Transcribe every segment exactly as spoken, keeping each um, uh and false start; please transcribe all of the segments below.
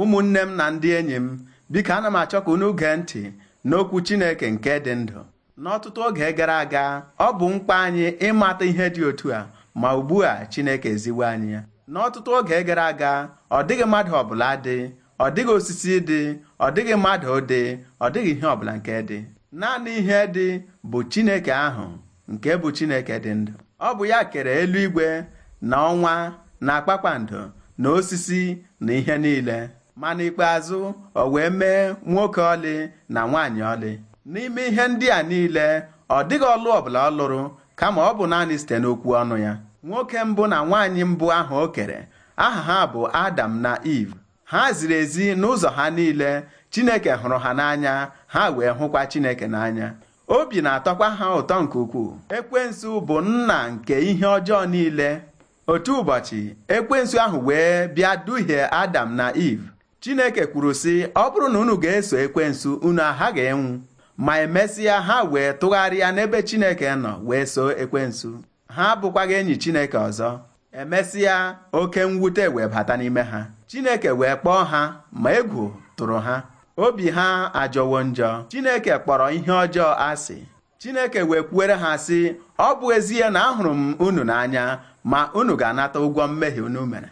Ụmụnne m na ndị enyi m, biko ana m achọ ka unu gee ntị n'okwu Chineke nke dị ndụ. N'ọtụtụ oge gara aga, ọ bụ mkpa anyị ịmata ihe dị otu a, ma ugbu a Chineke eziwo anyị ya. N'ọtụtụ oge gara aga, ọ dịghị mmadụ ọbụla dị, ọ dịghị osisi dị, ọ dịghị mmadụ dị, ọ dịghị ihe ọbụla nke dị. Naanị ihe dị bụ Chineke ahụ nke bụ Chineke dị ndụ. Ọ bụ ya kere eluigwe na ọnwa na kpakpando na osisi na ihe niile. Ma n'ikpeazụ o wee mee nwoke ọlị na nwaanyị ọlị. N'ime ihe ndị a niile, ọ dịghị ọlụ ọbụla ọ lụrụ, kama ọ bụ naanị site n'okwu ọnụ ya. Nwoke mbụ na nwaanyị mbụ ahụ o kere, aha ha bụ Adam na Eve. Ha ziri ezi n'ụzọ ha niile. Chineke hụrụ ha n'anya, ha wee hụkwa Chineke n'anya. Obi na-atọkwa ha ụtọ nke ukwuu. Ekwensu bụ nna nke ihe ọjọọ niile. Otu ụbọchị, ekwensu ahụ wee bịa duhie Adam na Eve. Chineke kwuru sị, ọ bụrụ na unu ga-eso ekwensu, unu aghaghị ịnwụ. Ma emesịa ha wee tụgharịa n'ebe Chineke nọ wee soo ekwensu. Ha abụkwaghị enyi Chineke ọzọ. Emesịa oke mwute wee bata n'ime ha. Chineke wee kpọọ ha, ma egwu tụrụ ha. Obi ha ajọwo njọ. Chineke kpọrọ ihe ọjọọ asị. Chineke wee kwuere ha sị, ọ bụ ezie na ahụrụ m unu n'anya, ma unu ga-anata ụgwọ mmehie unu mere.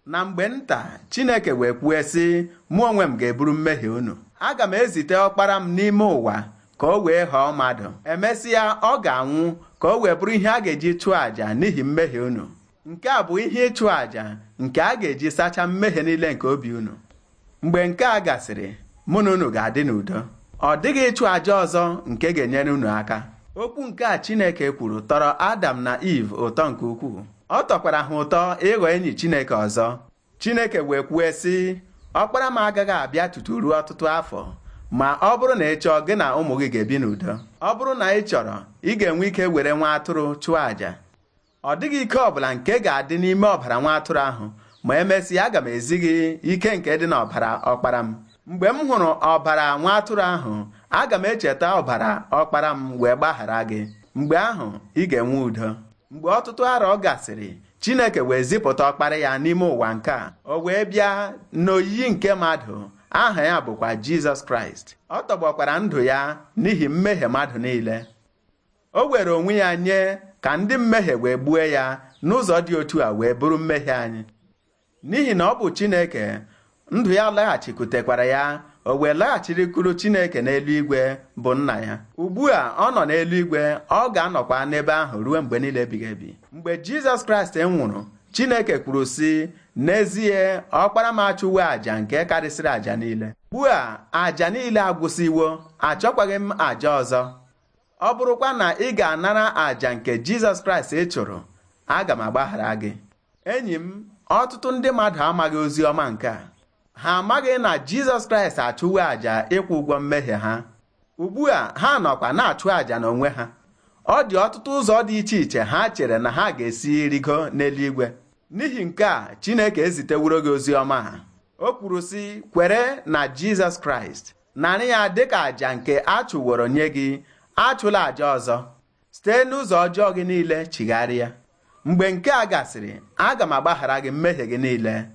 Na mgbe nta, Chineke wee kwue sị, mụ onwe m ga-eburu mmehie unu. Aga m ezite ọkpara m n'ime ụwa ka o wee ghọọ mmadụ. Emesịa ọ ga-anwụ ka o wee bụrụ ihe a ga-eji chụọ àjà n'ihi mmehie unu. Nke a bụ ihe ịchụ àjà nke a ga-eji sachaa mmehie niile nke obi unu. Mgbe nke a gasịrị, mụ na unu ga-adị n'udo. Ọ dịghị ịchụ àjà ọzọ nke ga-enyere unu aka. Okwu nke a Chineke kwuru tọrọ Adam na Eve ụtọ nke ukwuu. Ọ tọkwara ha ụtọ ịghọ enyi Chineke ọzọ. Chineke wee kwue sị, ọkpara m agaghị abịa tutu ruo ọtụtụ afọ, ma ọ bụrụ na ị chọọ, gị na ụmụ gị ga-ebi n'udo. Ọ bụrụ na ị chọrọ, ị ga-enwe ike were nwa atụrụ chụọ àjà. Ọ dịghị ike ọbụla nke ga-adị n'ime ọbara nwa atụrụ ahụ, ma emesịa aga m ezi gị ike nke dị n'ọbara ọkpara m. Mgbe m hụrụ ọbara nwa atụrụ ahụ, aga m echeta ọbara ọkpara m wee gbaghara gị. Mgbe ahụ ị ga-enwe udo. Mgbe ọtụtụ arọ gasịrị, Chineke wee zipụta ọkpara ya n'ime ụwa nke a. O wee bịa n'oyiyi nke mmadụ. Aha ya bụkwa Jizọs Kraịst. Ọ tọgbọkwara ndụ ya n'ihi mmehie mmadụ niile. O were onwe ya nye ka ndị mmehie wee gbue ya n'ụzọ dị otu a wee bụrụ mmehie anyị. N'ihi na ọ bụ Chineke, ndụ ya laghachikwutekwara ya, o wee laghachirikwuru Chineke n'eluigwe bụ nna ya. Ugbu a ọ nọ n'eluigwe, ọ ga-anọkwa n'ebe ahụ ruo mgbe niile ebighị ebi. Mgbe Jizọs Kraịst nwụrụ, Chineke kwuru sị, n'ezie ọkpara m achụwo àjà nke karịsịrị àjà niile. Ugbu a àjà niile agwụsịwo, achọkwaghị m àjà ọzọ. Ọ bụrụkwa na ị ga-anara àjà nke Jizọs Kraịst ị chụrụ, aga m agbaghara gị. Enyi m, ọtụtụ ndị mmadụ amaghị ozi ọma nke a. Ha amaghị na Jizọs Kraịst achụwo àjà ịkwụ ụgwọ mmehie ha. Ugbu a ha nọkwa na-achụ àjà n'onwe ha. Ọ dị ọtụtụ ụzọ dị iche iche ha chere na ha ga-esi rigo n'eluigwe. N'ihi nke a, Chineke eziteworo gị ozi ọma ha. O kwuru sị, kwere na Jizọs Kraịst, narị ya dịka àjà nke a chụworo nye gị, achụla àjà ọzọ. Site n'ụzọ ọjọọ gị niile chigharịa. Mgbe nke a gasịrị, aga m agbaghara gị mmehie gị niile.